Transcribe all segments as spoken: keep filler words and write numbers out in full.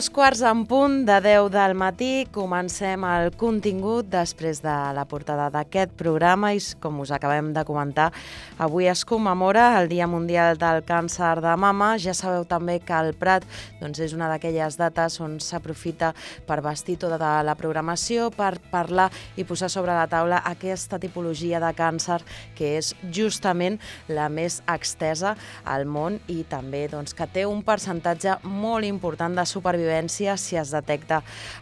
Dos quarts en punt de deu del matí, comencem el contingut després de la portada d'aquest programa i, com us acabem de comentar, avui es commemora el Dia Mundial del Càncer de Mama. Ja sabeu també que el Prat doncs, és una d'aquelles dates on s'aprofita per vestir tota la programació, per parlar i posar sobre la taula aquesta tipologia de càncer que és justament la més extesa al món i també doncs, que té un percentatge molt important de supervivència si es detecta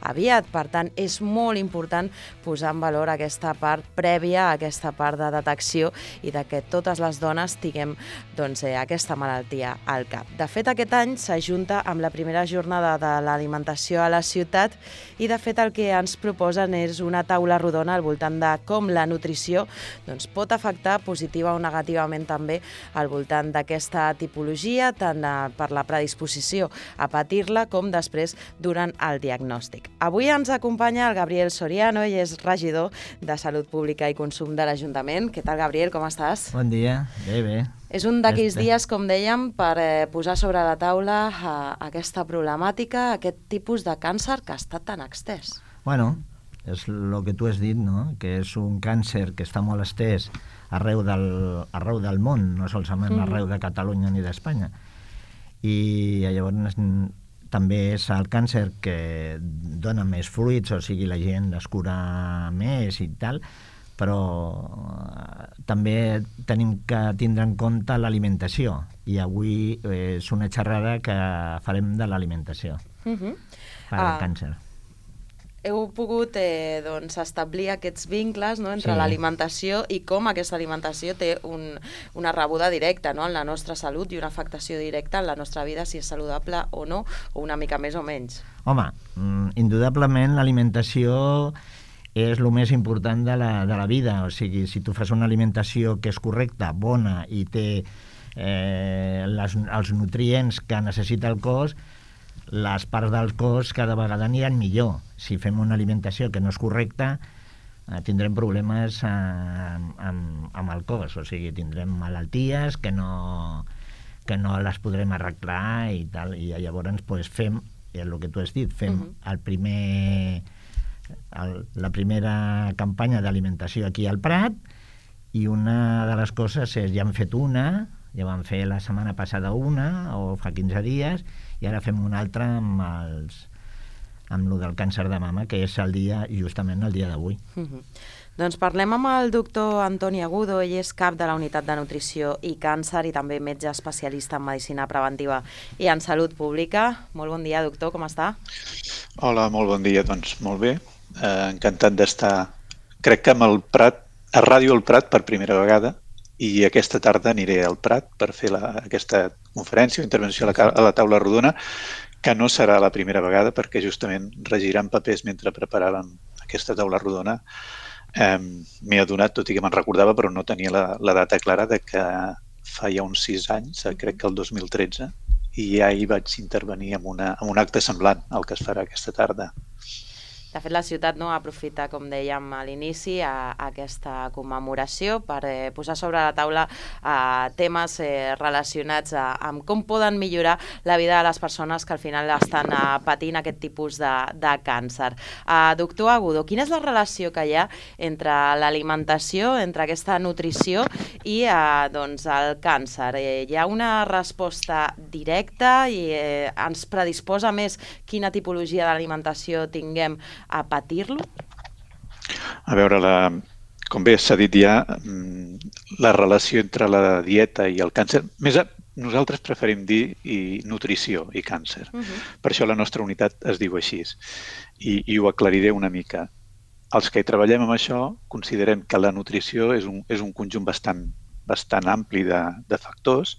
aviat. Per tant, és molt important posar en valor aquesta part prèvia, aquesta part de detecció i de que totes les dones tinguem doncs, eh, aquesta malaltia al cap. De fet, aquest any s'ajunta amb la primera jornada de l'alimentació a la ciutat i, de fet, el que ens proposen és una taula rodona al voltant de com la nutrició doncs, pot afectar positiva o negativament també al voltant d'aquesta tipologia, tant eh, per la predisposició a patir-la com després durant el diagnòstic. Avui ens acompanya el Gabriel Soriano, ell és regidor de Salut Pública i Consum de l'Ajuntament. Què tal, Gabriel? Com estàs? Bon dia. Bé, bé. És un d'aquells dies, com dèiem, per eh, posar sobre la taula eh, aquesta problemàtica, aquest tipus de càncer que està tan extès. Bueno, és el que tu has dit, no? Que és un càncer que està molt estès arreu del, arreu del món, no solament mm-hmm. arreu de Catalunya ni d'Espanya. I llavors també és el càncer que dona més fruits, o sigui, la gent es cura més i tal, però també tenim que tindre en compte l'alimentació, i avui és una xerrada que farem de l'alimentació uh-huh. per al ah. càncer. Heu pogut eh, doncs, establir aquests vincles, no?, entre sí. l'alimentació i com aquesta alimentació té un, una rebuda directa, no?, en la nostra salut i una afectació directa en la nostra vida, si és saludable o no, o una mica més o menys. Home, indudablement l'alimentació és el més important de la, de la vida. O sigui, si tu fas una alimentació que és correcta, bona i té eh, les, els nutrients que necessita el cos, les parts del cos cada vegada aniran millor. Si fem una alimentació que no és correcta, eh, tindrem problemes eh, amb, amb el cos, o sigui, tindrem malalties que no, que no les podrem arreglar i tal, i llavors pues, fem, el que tu has dit, fem uh-huh. el primer, el, la primera campanya d'alimentació aquí al Prat, i una de les coses és, ja hem fet una, ja vam fer la setmana passada una, o fa quinze dies, i ara fem una altra amb els amb lo del càncer de mama, que és el dia, justament el dia d'avui. Uh-huh. Doncs parlem amb el doctor Antoni Agudo, ell és cap de la Unitat de Nutrició i Càncer i també metge especialista en Medicina Preventiva i en Salut Pública. Molt bon dia, doctor, com està? Hola, molt bon dia, doncs molt bé. Eh, encantat d'estar, crec que amb el Prat, a Ràdio El Prat per primera vegada, i aquesta tarda aniré al Prat per fer la, aquesta conferència o intervenció a la, a la taula rodona, que no serà la primera vegada perquè justament regirant papers mentre preparàvem aquesta taula rodona. Eh, M'he adonat, tot i que me'n recordava, però no tenia la, la data clara de que fa ja uns sis anys, crec que el dos mil tretze, i ja hi vaig intervenir en, una, en un acte semblant al que es farà aquesta tarda. De fet, la ciutat no aprofita, com dèiem a l'inici, a, a aquesta commemoració per eh, posar sobre la taula eh, temes eh, relacionats a, amb com poden millorar la vida de les persones que al final estan eh, patint aquest tipus de, de càncer. Eh, doctor Agudo, quina és la relació que hi ha entre l'alimentació, entre aquesta nutrició i eh, doncs, el càncer? Eh, hi ha una resposta directa i eh, ens predisposa més quina tipologia d'alimentació tinguem a patir-lo? A veure, la, com bé s'ha dit ja, la relació entre la dieta i el càncer, més a, nosaltres preferim dir i nutrició i càncer. Uh-huh. Per això la nostra unitat es diu així. I, i ho aclariré una mica. Els que hi treballem amb això considerem que la nutrició és un, és un conjunt bastant, bastant ampli de, de factors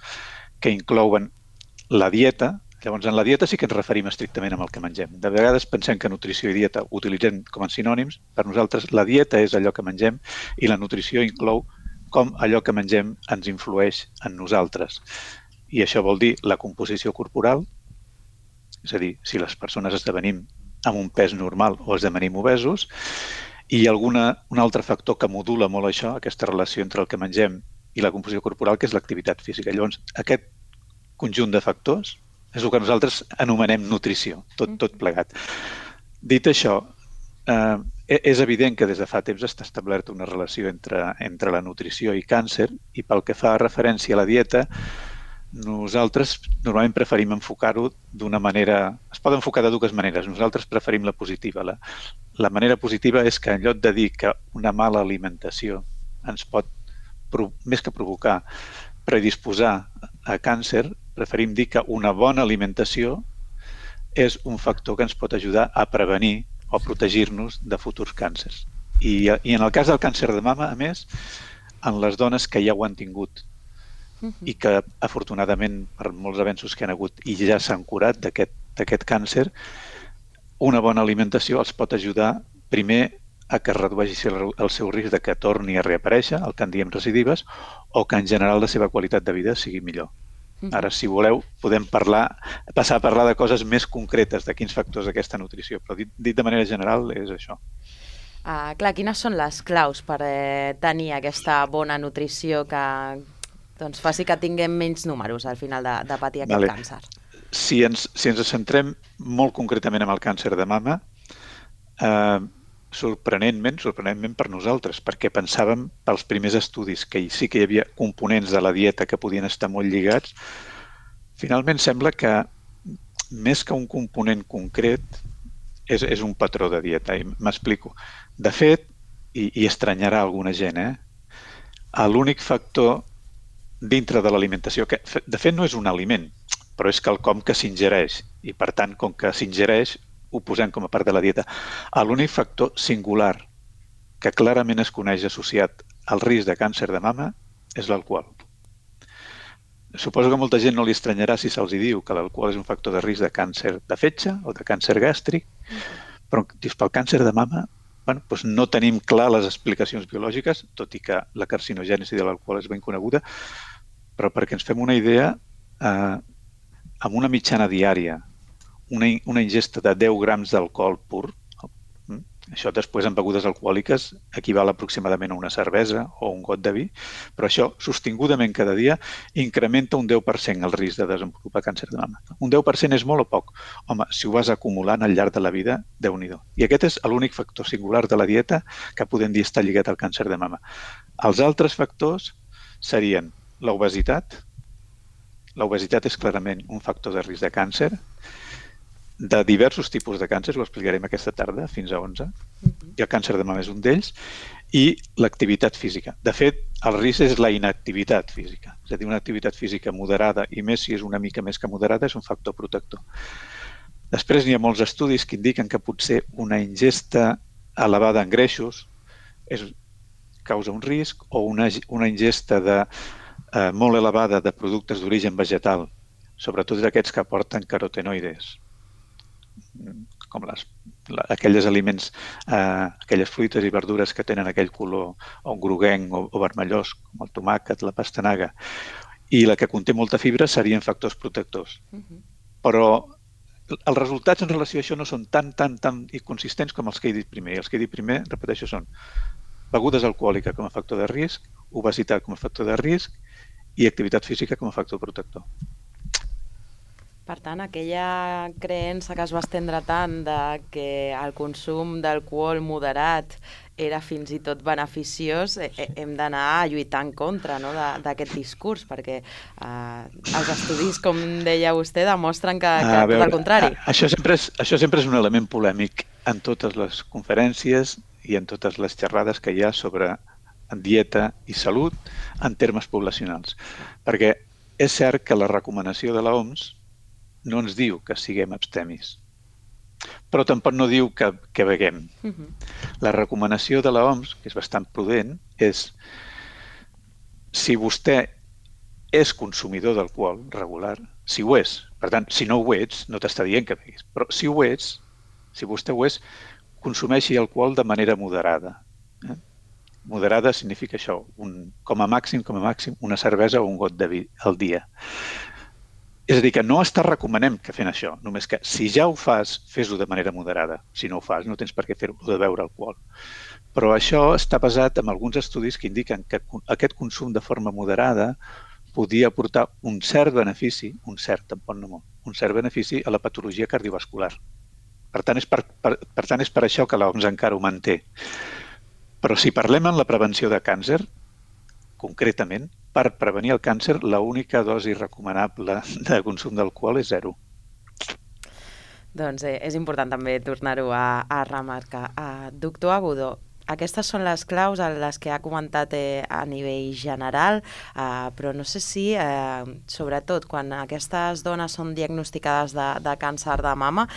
que inclouen la dieta. Llavors, en la dieta sí que ens referim estrictament amb el que mengem. De vegades pensem que nutrició i dieta ho utilitzem com a sinònims. Per nosaltres, la dieta és allò que mengem i la nutrició inclou com allò que mengem ens influeix en nosaltres. I això vol dir la composició corporal, és a dir, si les persones esdevenim amb un pes normal o esdevenim obesos, i alguna, un altre factor que modula molt això, aquesta relació entre el que mengem i la composició corporal, que és l'activitat física. Llavors, aquest conjunt de factors És el que nosaltres anomenem nutrició, tot, tot plegat. Dit això, eh, és evident que des de fa temps està establerta una relació entre, entre la nutrició i càncer, i pel que fa referència a la dieta, nosaltres normalment preferim enfocar-ho d'una manera... Es pot enfocar de dues maneres. Nosaltres preferim la positiva. La, la manera positiva és que en lloc de dir que una mala alimentació ens pot, més que provocar, predisposar a càncer, preferim dir que una bona alimentació és un factor que ens pot ajudar a prevenir o protegir-nos de futurs càncers. I, I en el cas del càncer de mama, a més, en les dones que ja ho han tingut i que, afortunadament, per molts avenços que han hagut i ja s'han curat d'aquest càncer, una bona alimentació els pot ajudar, primer, a que redueixi el seu risc de que torni a reaparèixer, el que en diem recidives, o que en general la seva qualitat de vida sigui millor. Ara, si voleu, podem parlar, passar a parlar de coses més concretes, de quins factors d'aquesta nutrició, però dit, dit de manera general és això. Uh, clar, quines són les claus per eh, tenir aquesta bona nutrició que doncs, faci que tinguem menys números al final de, de patir aquest vale. càncer? Si ens, si ens centrem molt concretament en el càncer de mama, eh, sorprenentment, sorprenentment per nosaltres, perquè pensàvem pels primers estudis que sí que hi havia components de la dieta que podien estar molt lligats, finalment sembla que més que un component concret és, és un patró de dieta, i m'explico. De fet, i, i estranyarà alguna gent, eh? l'únic factor dintre de l'alimentació, que de fet no és un aliment, però és quelcom que s'ingereix, i per tant, com que s'ingereix, ho posem com a part de la dieta. L'únic factor singular que clarament es coneix associat al risc de càncer de mama és l'alcohol. Suposo que a molta gent no li estranyarà si se'ls diu que l'alcohol és un factor de risc de càncer de fetge o de càncer gàstric, però dius, pel càncer de mama bueno, doncs no tenim clar les explicacions biològiques, tot i que la carcinogènesi de l'alcohol és ben coneguda, però perquè ens fem una idea, eh, amb una mitjana diària, Una, una ingesta de deu grams d'alcohol pur, això després en begudes alcohòliques equival aproximadament a una cervesa o un got de vi, però això sostingudament cada dia incrementa un deu per cent el risc de desenvolupar càncer de mama. Un deu per cent és molt o poc? Home, si ho vas acumulant al llarg de la vida, Déu-n'hi-do. I aquest és l'únic factor singular de la dieta que podem dir està lligat al càncer de mama. Els altres factors serien l'obesitat. L'obesitat és clarament un factor de risc de càncer, de diversos tipus de càncer, ho explicarem aquesta tarda, fins a onze, uh-huh. i el càncer de mama és un d'ells, i l'activitat física. De fet, el risc és la inactivitat física, és a dir, una activitat física moderada, i més si és una mica més que moderada, és un factor protector. Després hi ha molts estudis que indiquen que potser una ingesta elevada en greixos és, causa un risc, o una, una ingesta de, eh, molt elevada de productes d'origen vegetal, sobretot d'aquests que aporten carotenoides, com les, aquells aliments, eh, aquelles fruites i verdures que tenen aquell color o groguenc o, o vermellós, com el tomàquet, la pastanaga, i la que conté molta fibra serien factors protectors. Uh-huh. Però els resultats en relació a això no són tan, tan, tan inconsistents com els que he dit primer. I els que he dit primer, repeteixo, són begudes alcohòliques com a factor de risc, obesitat com a factor de risc i activitat física com a factor protector. Per tant, aquella creença que es va estendre tant de que el consum d'alcohol moderat era fins i tot beneficiós, eh, hem d'anar a lluitar en contra, no?, d'aquest discurs, perquè eh, els estudis, com deia vostè, demostren que, que a veure, tot el contrari. A, això, sempre és, això sempre és un element polèmic en totes les conferències i en totes les xerrades que hi ha sobre dieta i salut en termes poblacionals. Perquè és cert que la recomanació de l'O M S no ens diu que siguem abstemis, però tampoc no diu que, que beguem. Uh-huh. La recomanació de l'O M S, que és bastant prudent, és si vostè és consumidor d'alcohol regular, si ho és, per tant, si no ho ets, no t'està dient que beguis, però si ho ets, si vostè ho és, consumeixi alcohol de manera moderada. Eh? Moderada significa això, un, com a màxim, com a màxim, una cervesa o un got de vi al dia. És a dir, que no està recomanem que fem això, només que si ja ho fas, fes-ho de manera moderada. Si no ho fas, no tens per què fer-ho de beure alcohol. Però això està basat en alguns estudis que indiquen que aquest consum de forma moderada podia aportar un cert benefici, un cert, tampoc no molt, un cert benefici a la patologia cardiovascular. Per tant, és per, per, per tant, és per això que l'O M S encara ho manté. Però si parlem en la prevenció de càncer, concretament, per prevenir el càncer, l'única dosi recomanable de consum d'alcohol és zero. Doncs eh, és important també tornar-ho a, a remarcar. Uh, doctor Agudo, aquestes són les claus a les que ha comentat eh, a nivell general, eh, però no sé si, eh, sobretot, quan aquestes dones són diagnosticades de, de càncer de mama,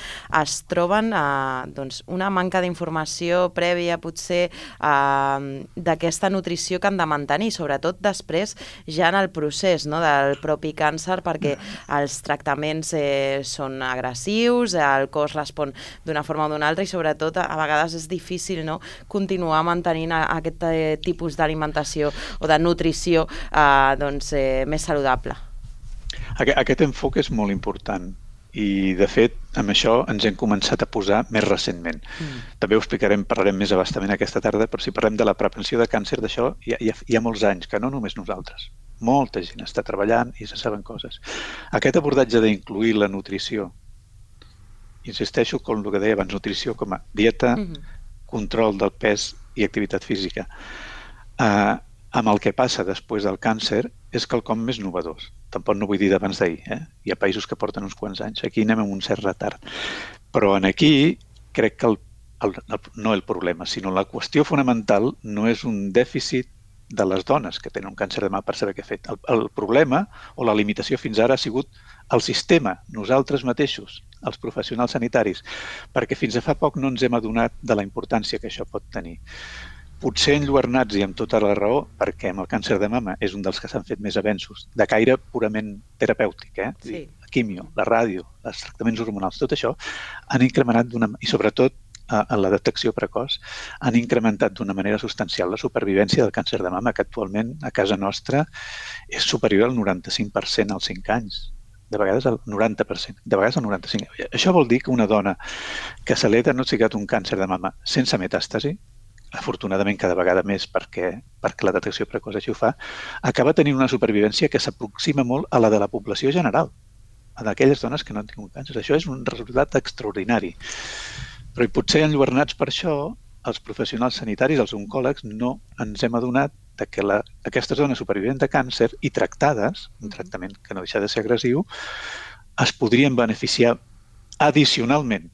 es troben eh, doncs, una manca d'informació prèvia, potser, eh, d'aquesta nutrició que han de mantenir, sobretot després ja en el procés, no?, del propi càncer, perquè els tractaments eh, són agressius, el cos respon d'una forma o d'una altra i, sobretot, a vegades és difícil, no?, continuar mantenint aquest eh, tipus d'alimentació o de nutrició eh, doncs, eh, més saludable. Aquest, aquest enfoc és molt important i, de fet, amb això ens hem començat a posar més recentment. Mm. També ho explicarem, parlarem més abastament aquesta tarda, però si parlem de la prevenció de càncer, d'això hi, hi, ha, hi ha molts anys, que no només nosaltres. Molta gent està treballant i se saben coses. Aquest abordatge d'incluir la nutrició, insisteixo com el que deia abans, nutrició com a dieta, mm-hmm. control del pes i activitat física. Uh, amb el que passa després del càncer és quelcom més novedós. Tampoc no vull dir d'abans d'ahir. Eh? Hi ha països que porten uns quants anys. Aquí anem amb un cert retard. Però en aquí crec que el, el, el, no el problema, sinó la qüestió fonamental no és un dèficit de les dones que tenen un càncer de mama per saber què ha fet. El, el problema o la limitació fins ara ha sigut el sistema, nosaltres mateixos, els professionals sanitaris, perquè fins a fa poc no ens hem adonat de la importància que això pot tenir. Potser enlluernats i amb tota la raó, perquè amb el càncer de mama és un dels que s'han fet més avenços, de caire purament terapèutic, eh? Sí. La quimio, la ràdio, els tractaments hormonals, tot això han incrementat d'una... i sobretot en la detecció precoç, han incrementat d'una manera substancial la supervivència del càncer de mama, que actualment a casa nostra és superior al noranta-cinc per cent als cinc anys. De vegades al noranta per cent, de vegades al noranta-cinc per cent. Això vol dir que una dona que se li ha diagnosticat un càncer de mama sense metàstasi, afortunadament cada vegada més perquè, perquè la detecció precoç així ho fa, acaba tenint una supervivència que s'aproxima molt a la de la població general, a d'aquelles dones que no han tingut càncer. Això és un resultat extraordinari. Però i potser enlluernats per això, els professionals sanitaris, els oncòlegs, no ens hem adonat de que la, aquestes dones supervivents de càncer i tractades, un tractament que no deixa de ser agressiu, es podrien beneficiar addicionalment,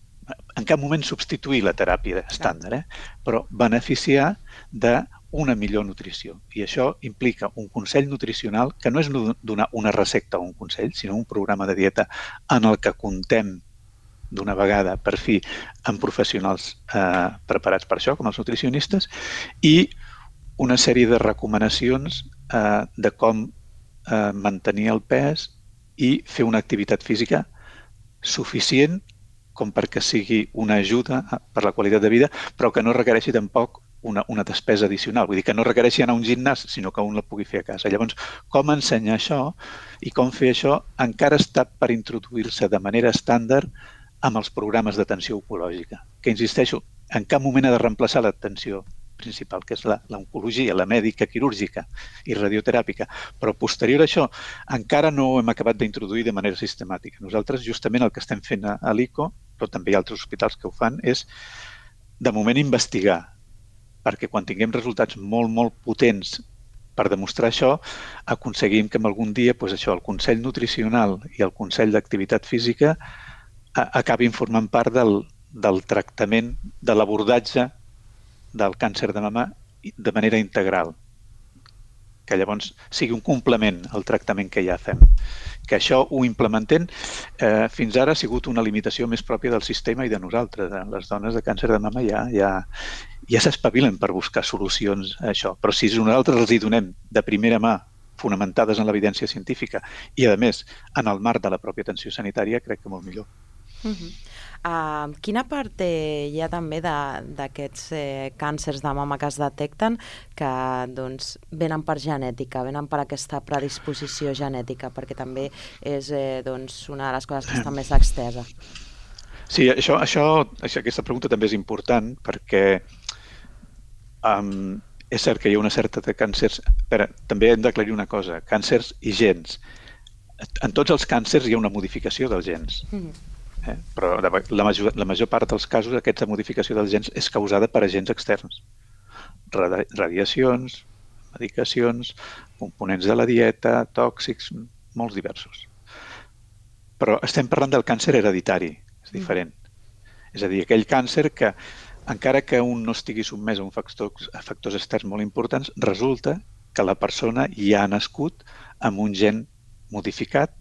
en cap moment substituir la teràpia estàndard, eh? Però beneficiar d'una millor nutrició. I això implica un consell nutricional que no és donar una recepta o un consell, sinó un programa de dieta en el que contem d'una vegada, per fi, amb professionals eh, preparats per això, com els nutricionistes, i una sèrie de recomanacions eh, de com eh, mantenir el pes i fer una activitat física suficient com perquè sigui una ajuda per la qualitat de vida, però que no requereixi tampoc una, una despesa addicional. Vull dir que no requereixi anar a un gimnàs, sinó que un la pugui fer a casa. Llavors, com ensenyar això i com fer això encara està per introduir-se de manera estàndard amb els programes d'atenció oncològica, que, insisteixo, en cap moment ha de reemplaçar l'atenció principal, que és l'oncologia, la mèdica quirúrgica i radioteràpica. Però posterior a això encara no ho hem acabat d'introduir de manera sistemàtica. Nosaltres justament el que estem fent a l'I C O, però també hi ha altres hospitals que ho fan, és de moment investigar, perquè quan tinguem resultats molt, molt potents per demostrar això, aconseguim que algun dia doncs això, el Consell Nutricional i el Consell d'Activitat Física acabin formant part del, del tractament, de l'abordatge del càncer de mama de manera integral, que llavors sigui un complement al tractament que ja fem. Que això ho implementem, eh, fins ara ha sigut una limitació més pròpia del sistema i de nosaltres. Les dones de càncer de mama ja, ja, ja s'espavilen per buscar solucions a això. Però si nosaltres els hi donem de primera mà, fonamentades en l'evidència científica i, a més, en el marc de la pròpia atenció sanitària, crec que molt millor. Uh -huh. uh, quina part hi ha també d'aquests eh, càncers de mama que es detecten que doncs, venen per genètica, venen per aquesta predisposició genètica, perquè també és eh, doncs, una de les coses que està més extesa? Sí, això, això, aquesta pregunta també és important perquè um, és cert que hi ha una certa de càncers, però també hem d'aclarir una cosa, càncers i gens. en tots els càncers hi ha una modificació dels gens. Eh? Però la major, la major part dels casos aquesta modificació dels gens és causada per agents externs. Radiacions, medicacions, components de la dieta, tòxics, molts diversos. Però estem parlant del càncer hereditari, és diferent. És a dir, aquell càncer que, encara que un no estigui sotmès a uns factors, a factors externs molt importants, resulta que la persona ja ha nascut amb un gen modificat,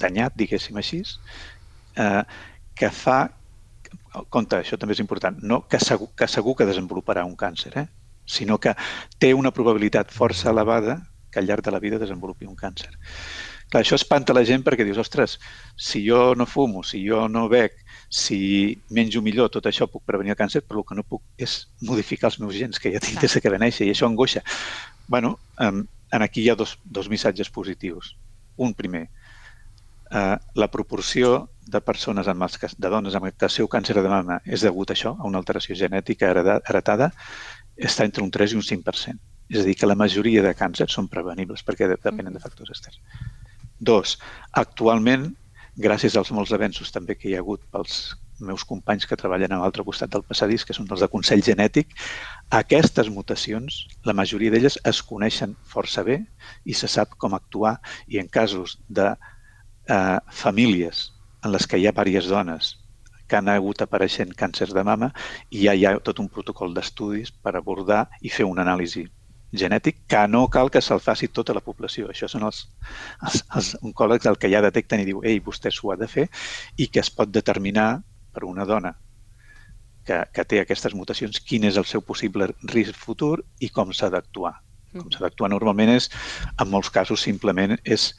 danyat, diguéssim així, eh, que fa, compte, això també és important, no que segur que, segur que desenvoluparà un càncer, eh? sinó que té una probabilitat força elevada que al llarg de la vida desenvolupi un càncer. Clar, això espanta la gent perquè dius, ostres, si jo no fumo, si jo no bec, si menjo millor, tot això puc prevenir el càncer, però el que no puc és modificar els meus gens, que ja tinc des que va néixer, i això angoixa. Bueno, um, aquí hi ha dos, dos missatges positius. Un primer, uh, la proporció de persones amb els, de dones amb el seu càncer de mama és degut a això, a una alteració genètica heretada, està entre un tres i un cinc per cent. És a dir, que la majoria de càncers són prevenibles perquè depenen de factors externs. Dos, actualment, gràcies als molts avenços també que hi ha hagut pels meus companys que treballen a l'altre costat del passadís, que són els de consell genètic, aquestes mutacions, la majoria d'elles es coneixen força bé i se sap com actuar, i en casos de eh, famílies en les que hi ha diverses dones que han hagut apareixent càncers de mama, i ja hi ha tot un protocol d'estudis per abordar i fer una anàlisi genètic que no cal que se'l faci tota la població. Això són els, els, els oncòlegs el que ja detecten i diu, ei, vostè s'ho ha de fer, i que es pot determinar per una dona que, que té aquestes mutacions quin és el seu possible risc futur i com s'ha d'actuar. Com s'ha d'actuar normalment és, en molts casos, simplement és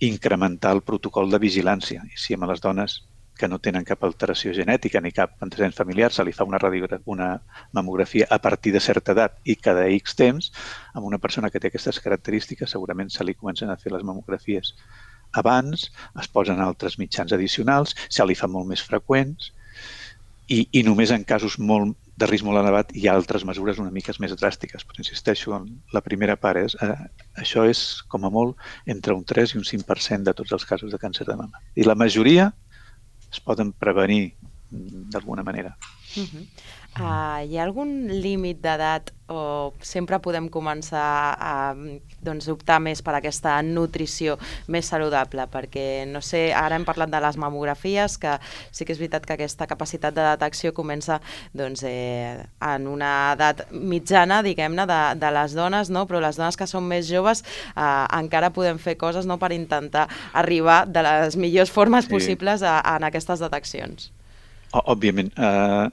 incrementar el protocol de vigilància. I si amb les dones que no tenen cap alteració genètica ni cap antecedent familiar, se li fa una, una mamografia a partir de certa edat i cada X temps, amb una persona que té aquestes característiques segurament se li comencen a fer les mamografies abans, es posen altres mitjans addicionals, se li fa molt més freqüents i, i només en casos molt, de risc molt elevat hi ha altres mesures una mica més dràstiques. Però insisteixo, la primera part és eh, això és com a molt entre un tres i un cinc per cent de tots els casos de càncer de mama. I la majoria es poden prevenir d'alguna manera. Uh-huh. uh, hi ha algun límit d'edat o sempre podem començar a doncs, optar més per aquesta nutrició més saludable? Perquè, no sé, ara hem parlat de les mamografies, que sí que és veritat que aquesta capacitat de detecció comença doncs, eh, en una edat mitjana, diguem-ne, de, de les dones, no? Però les dones que són més joves eh, encara podem fer coses, no?, per intentar arribar de les millors formes sí. possibles a, a, en aquestes deteccions. Òbviament. Uh,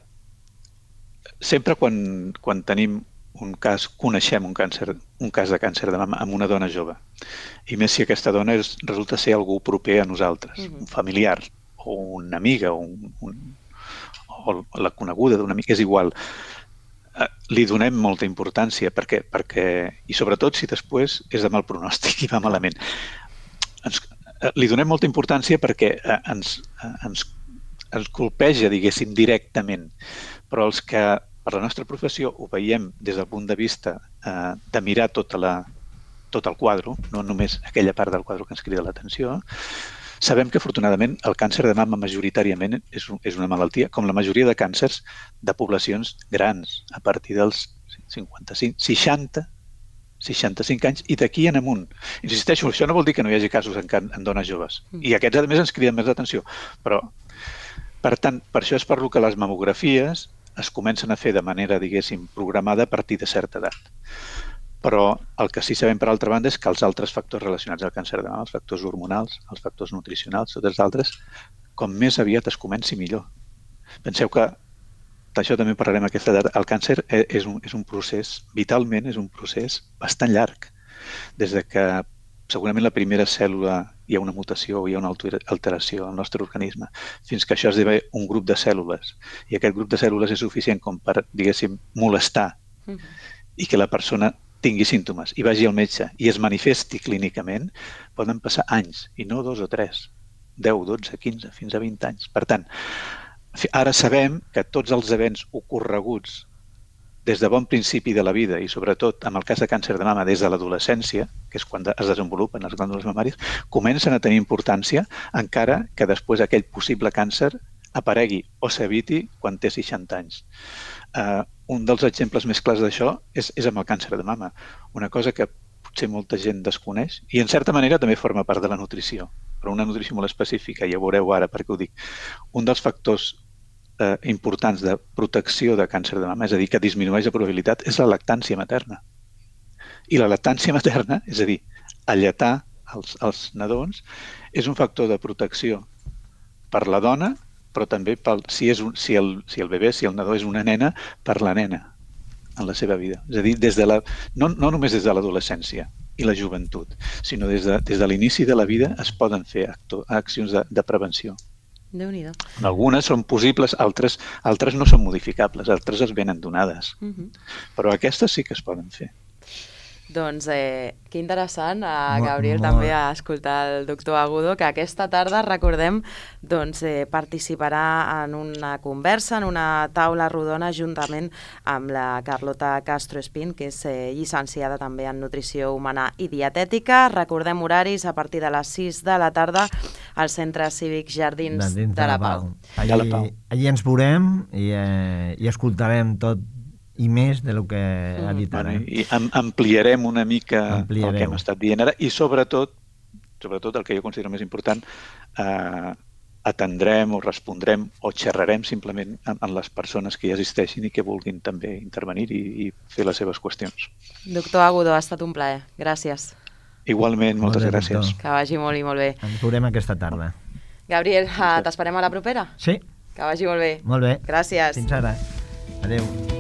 sempre quan, quan tenim un cas, coneixem un, càncer, un cas de càncer de mama amb una dona jove. I més si aquesta dona és, resulta ser algú proper a nosaltres, uh-huh. un familiar, o una amiga, o, un, un, o la coneguda d'una amiga, és igual. Eh, li donem molta importància, perquè, perquè, i sobretot si després és de mal pronòstic i va malament. Ens, eh, li donem molta importància perquè eh, ens, eh, ens, ens colpeja, diguéssim, directament. Però els que per la nostra professió ho veiem des del punt de vista eh, de mirar tota la, tot el quadre, no només aquella part del quadre que ens crida l'atenció, sabem que afortunadament el càncer de mama majoritàriament és, és una malaltia, com la majoria de càncers de poblacions grans, a partir dels cinquanta-cinc, seixanta, seixanta-cinc anys i d'aquí en amunt. Insisteixo, això no vol dir que no hi hagi casos en, en dones joves. I aquests, a més, ens criden més l'atenció. Però, per tant, per això és per lo que les mamografies es comencen a fer de manera, diguéssim, programada a partir de certa edat. Però el que sí sabem, per altra banda, és que els altres factors relacionats al càncer de mama, els factors hormonals, els factors nutricionals, tots els altres, com més aviat es comenci, millor. Penseu que, d'això també parlarem a aquesta edat, el càncer és un, és un procés, vitalment és un procés bastant llarg. Des de que segurament la primera cèl·lula hi ha una mutació o hi ha una alteració al nostre organisme, fins que això esdevé un grup de cèl·lules. I aquest grup de cèl·lules és suficient com per, diguéssim, molestar uh-huh. i que la persona tingui símptomes i vagi al metge i es manifesti clínicament, poden passar anys, i no dos o tres, deu, dotze, quinze, fins a vint anys. Per tant, ara sabem que tots els events ocorreguts des de bon principi de la vida i sobretot amb el cas de càncer de mama des de l'adolescència, que és quan es desenvolupen les glàndules mamàries, comencen a tenir importància encara que després aquell possible càncer aparegui o s'eviti quan té seixanta anys. Uh, un dels exemples més clars d'això és, és amb el càncer de mama, una cosa que potser molta gent desconeix i en certa manera també forma part de la nutrició, però una nutrició molt específica, ja veureu ara per què ho dic. Un dels factors eh, importants de protecció de càncer de mama, és a dir, que disminueix la probabilitat, és la lactància materna. I la lactància materna, és a dir, alletar els, els nadons, és un factor de protecció per la dona, però també pel, si, és un, si, el, si el bebè, si el nadó és una nena, per la nena en la seva vida. És a dir, des de la, no, no només des de l'adolescència i la joventut, sinó des de, des de l'inici de la vida es poden fer acto, accions de, de prevenció. Déu-n'hi-do. Algunes són possibles, altres, altres no són modificables, altres es venen donades. Uh-huh. Però aquestes sí que es poden fer. Doncs eh, que interessant, a Molt, Gabriel, molt. també a escoltar el doctor Agudo, que aquesta tarda, recordem, doncs, eh, participarà en una conversa, en una taula rodona, juntament amb la Carlota Castro Espín, que és eh, llicenciada també en Nutrició Humana i Dietètica. Recordem horaris a partir de les sis de la tarda al Centre Cívic Jardins de, de la Pau. Allí, de la Pau. allí ens veurem i, eh, i escoltarem tot i més de lo que ha dit ara. Bueno, I am ampliarem una mica Ampliareu. el que hem estat dient ara i sobretot, sobretot el que jo considero més important, eh, atendrem o respondrem o xerrarem simplement amb, amb les persones que hi assisteixin i que vulguin també intervenir i, i fer les seves qüestions. Doctor Agudo, ha estat un plaer. Gràcies. Igualment, moltes Molt bé, gràcies. doctor. Que vagi molt i molt bé. Ens veurem aquesta tarda. Gabriel, eh, t'esperem a la propera? Sí, Que vagi molt bé. molt bé. Gràcies. Fins ara. Adéu.